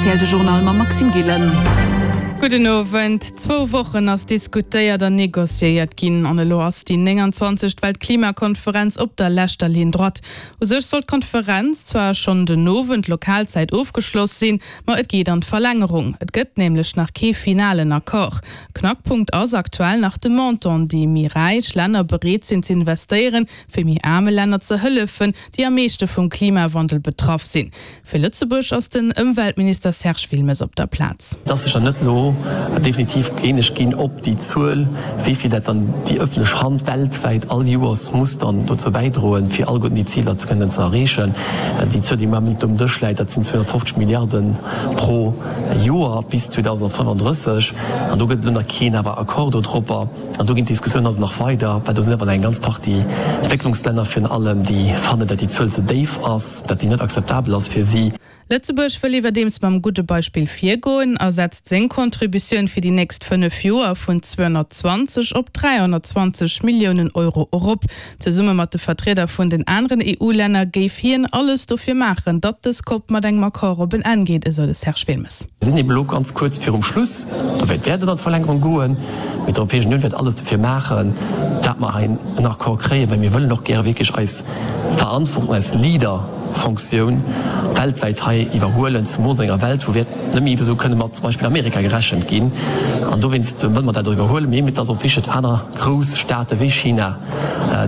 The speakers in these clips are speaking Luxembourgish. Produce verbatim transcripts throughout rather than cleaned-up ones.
R T L de Journal mam Maxime Gillen. Gudden Owend. Zwou Wochen ass diskutéiert an negociéiert ginn an elo ass déi nénganzwanzegt Weltklimakonferenz op der leschter Ligne droite. U sech sollt d'Konferenz zwar schonn den Owend Lokalzäit ofgeschloss sinn, ma et geet an d'Verlängerung. Et gëtt nämlech nach kee finalen Accord. Knackpunkt ass aktuell nach de Montant, dee méi räich Länner bereet sinn z'investéieren, fir méi aarme Länner ze hëllefen, déi am meeschte vum Klimawandel betraff sinn. Fir Lëtzebuerg ass den Ëmweltminister Serge Wilmes op der Plaz. Et ass sech dann net elo definitiv eeneg ginn, ob déi Zuel, wéi vill dat dann déi ëffentlech Hand weltwäit all Joers muss dann dozou bäidroen, fir alleguerten déi Ziler ze kënnen ze erreechen. Déi Zuel, déi am Moment um Dësch läit, dat sinn zweehonnertfofzeg Milliarden pro Joer bis zweedausendfënnenddrësseg. An do gëtt et elo nach keen awer Accord dodropper. An do ginn d'Diskussiounen also nach weider, well do sinn awer nach eng ganz Partie Entwécklungslänner virun allem, déi fannen, datt déi Zuel ze déif ass, datt déi net akzeptabel ass fir si. Lëtzebuerg wëll iwwerdeems mam gudde Beispill virgoen a setzt seng Contributioun fir déi nächst fënnef Joer vun zweehonnertzwanzeg op dräihonnertzwanzeg Milliounen Euro erop. Zesumme mat de Vertrieder vun den aneren E U-Länner géif hien alles dofir maachen, datt dës Cop mat engem Accord op en Enn geet, esou de Serge Wilmes. Mir sinn eben elo ganz kuerz virum Schluss. Dowéint wäert et an d'Verlängerung goen. Mee d'Europäesch Unioun wäert alles dofir maachen, dat mer hei en Accord kréien, well mir wëllen och gäre wierklech eis Verantwortung, eis Leader-Fonctioun weltwäit hei iwwerhuelen, zemools an enger Welt, wou wäert net méi esou kënne mat zum Beispill Amerika gerechent ginn. An dowéinst wëlle mer dat och iwwerhuelen. Mee et ass och wichteg, datt aner grouss Staate wéi China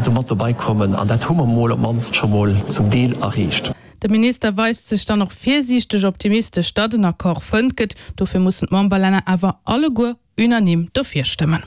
do mat dobei kommen. An dat hu mer mol op d'mannst scho mol zum Deel erreecht. De Minister weist sech dann och virsiichteg optimistesch, datt en Accord fënnt gëtt. Dofir mussen d'Memberlänner awer alleguer unanime dofir stëmmen.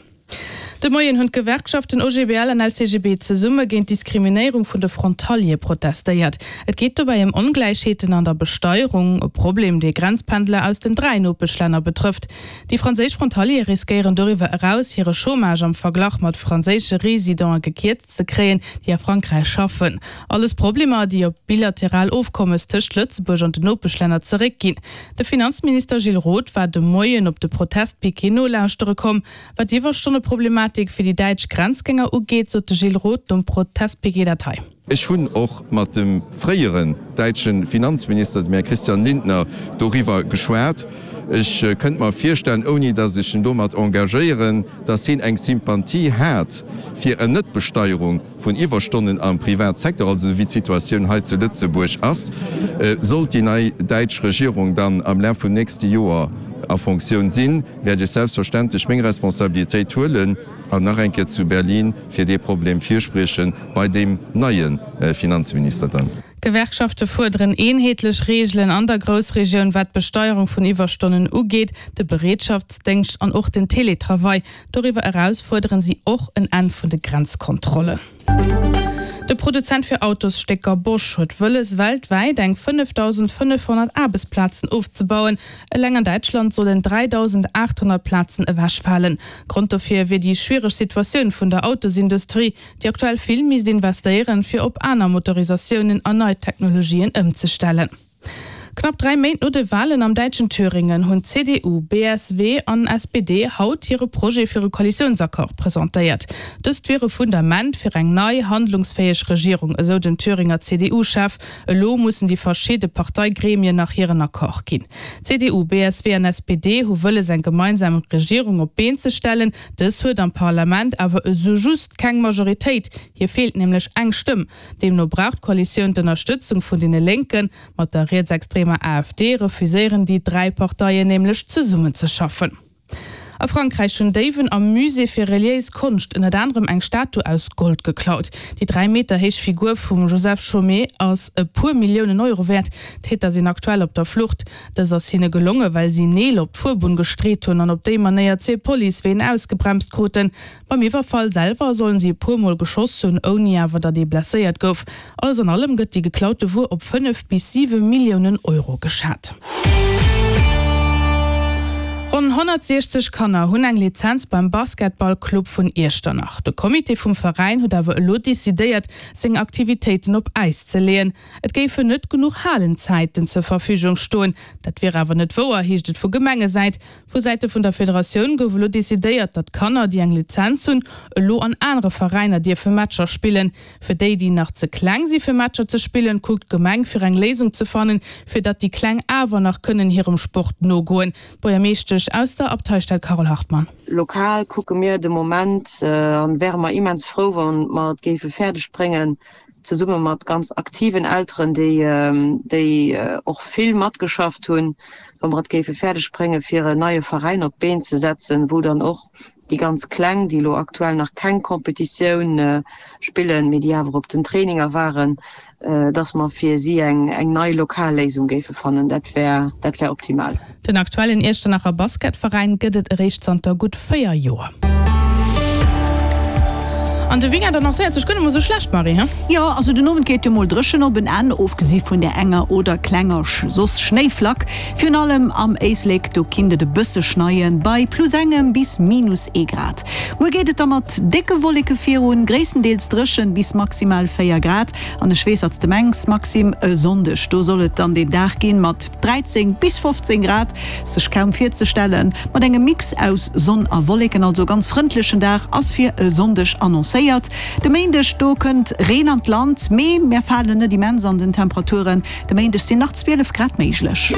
De Moien hunn d'Gewerkschaften O G B L an L C G B zesumme géint d'Diskriminéierung vun de Frontaliere protestéiert. Et geet dobäi ëm Ongläichheeten an der Besteierung, e Problem, dee Grenzpendler aus den dräi Nopeschlänner betrëfft. Déi franséisch Frontaliere riskéieren doriwwer eraus, hire Chômage am Verglach mat franséische Residente gekierzt ze kréien, déi a Frankräich schaffen. Alles Problemer, déi op bilateral Ofkommes tëscht Lëtzebuerg an den Nopeschlänner zeréckginn. De Finanzminister Gilles Roth war de Moien op de Protestpiquet nolauschtere komm. Wat d'Iwwerstonneproblematik fir déi däitsch Grenzgänger ugeet, sot de Gilles Roth nom Protestpiquet dat hei. Ech hunn och mat dem fréieren däitsche Finanzminister, dem Här Christian Lindner, doriwwer geschwat. Ech kënnt mer virstellen, ouni datt ech en domat engagéieren, datt hien eng Sympathie hat fir en Netbesteierung vun Iwwerstonnen am Privatsecteur, also esou wéi d'Situatioun hei zu Lëtzebuerg ass. Sollt déi nei däitsch Regierung dann am Laf vum nächste Joer a Fonctioun sinn, wäert ech selbstverständlech meng Responsabilitéit huelen an nach eng Kéier zu Berlin fir dee Problem virspriechen, bei deem neie Finanzminister dann. D'Gewerkschafte fuerderen eenheetlech Reegelen an der Groussregioun, wat d'Besteierung vun Iwwerstonnen ugeet, de Bereetschaftsdéngscht an och den Teletravail. Doriwwer eraus fuerderen si och en Enn vun de Grenzkontrollen. De Produzent fir Autosstécker Bosch huet wëlles, weltwäit eng fënnefdausendfënnefhonnert Aarbechtsplazen ofzebauen. Eleng an Däitschland sollen dräidausendaathonnert Plazen ewechfalen. Grond dofir wier déi schwiereg Situatioun vun der Autosindustrie, déi aktuell vill misst investéieren, fir op aner Motorisatiounen an nei Technologien ëmzestellen. Knapp dräi Méint no de Walen am däitschen Thüringen hunn C D U, B S W an S P D haut hire Projet fir e Koalitiounsaccord presentéiert. Dëst wier e Fundament fir eng nei, handlungsfäeg Regierung, esou den Thüringer C D U-Chef. Elo mussen déi verschidde Parteigremien nach hiren Accord ginn. C D U, B S W an S P D hu wëlles eng gemeinsam Regierung op d'Been ze stellen. Dës huet am Parlament awer esou just keng Majoritéit. Hir feelt nämlech eng Stëmm. Deemno brauch d'Koalitioun d'Ënnerstëtzung vun deene Lénken. Mat der rietsextremer A F D refuséieren déi dräi Parteien nämlech zesummenzeschaffen. A Frankräich hunn Déiwen am Musée fir reliéis Konscht ënnert anerem eng Statu aus Gold geklaut. Déi dräi Meter héich Figur vum Joseph Chaumet ass e puer Milliounen Euro wäert. D'Täter sinn aktuell op der Flucht. Dëst ass hinne gelongen, well si Neel op d'Fuerbunn gestreet hunn an op déi Manéier zwee Policeween ausgebremst kruten. Beim Iwwerfall selwer sollen si e puer Mol geschoss hunn, ouni awer datt ee blesséiert gouf. Alles an allem gëtt déi geklaute Wuer op fënnef bis siwe Milliounen Euro geschat. Ronn honnertsiechzeg Kanner hunn eng Lizenz beim Basketballclub vun Iechternach. De Comité vum Veräin huet awer elo decidéiert, seng Aktivitéiten op Äis ze leeën. Et géifen net genuch Halenzäiten zur Verfügung stoen. Dat wier awer net wouer, heescht et vu Gemengesäit. Vu Säite vun der Federatioun gouf elo decidéiert, datt Kanner, déi eng Lizenz hunn, elo an anere Veräiner dierfe Matcher spillen. Fir déi, déi nach ze kleng si fir Matcher ze spillen, kuckt d'Gemeng fir eng Léisung ze fannen, fir datt déi Kleng awer nach kënnen hirem Sport nogoen. D'Buergermeeschtesch aus der Abteistad Carole Hartmann. Lokal kucke mir de Moment an wäre mer immens frou, wa mer et géife fäerdeg bréngen, zesumme mat ganz aktiven Elteren, déi déi och vill matgeschafft hunn, wa mer et géife fäerdeg bréngen, fir en neie Veräin op d'Been ze setzen, wou dann och déi ganz Kleng, déi elo aktuell nach keng Competitioun spillen, mee déi awer op den Traininger waren, dass mer fir si eng eng nei lokal Léisung géife fannen. Dat wär dat wär optimal. Den aktuellen Iechternacher Basketveräin gëtt et eréischt zanter gutt véier Joer. An de Weekend annoncéiert sech guer net mol sou schlecht, Marie, he? Jo, also den Owend geet jo mol dréchen op en Enn, ofgesi vun där enger oder klenger soss Schnéiflack. Virun allem am Éislek, do kinnt et e bësse schneien, bei plus engem bis minus ee Grad. Muer geet et da mat décke Wolleke virun, gréisstendeels dréchen, bis maximal véier Grad. An ech weess, wat s de mengs, Maxime, e Sonndeg, do soll et dann deen Dag ginn mat dräizéng bis fofzéng Grad, sech kaum virzestellen, mat engem Mix aus Sonn a Wolleken. Also ganz frëndlechen Dag ass fir e Sonndeg annoncéiert. De Méindeg, do kënnt Reen an d'Land, mee mär falen net immens an den Temperaturen. De Méindeg sinn nach zwielef Grad méiglech.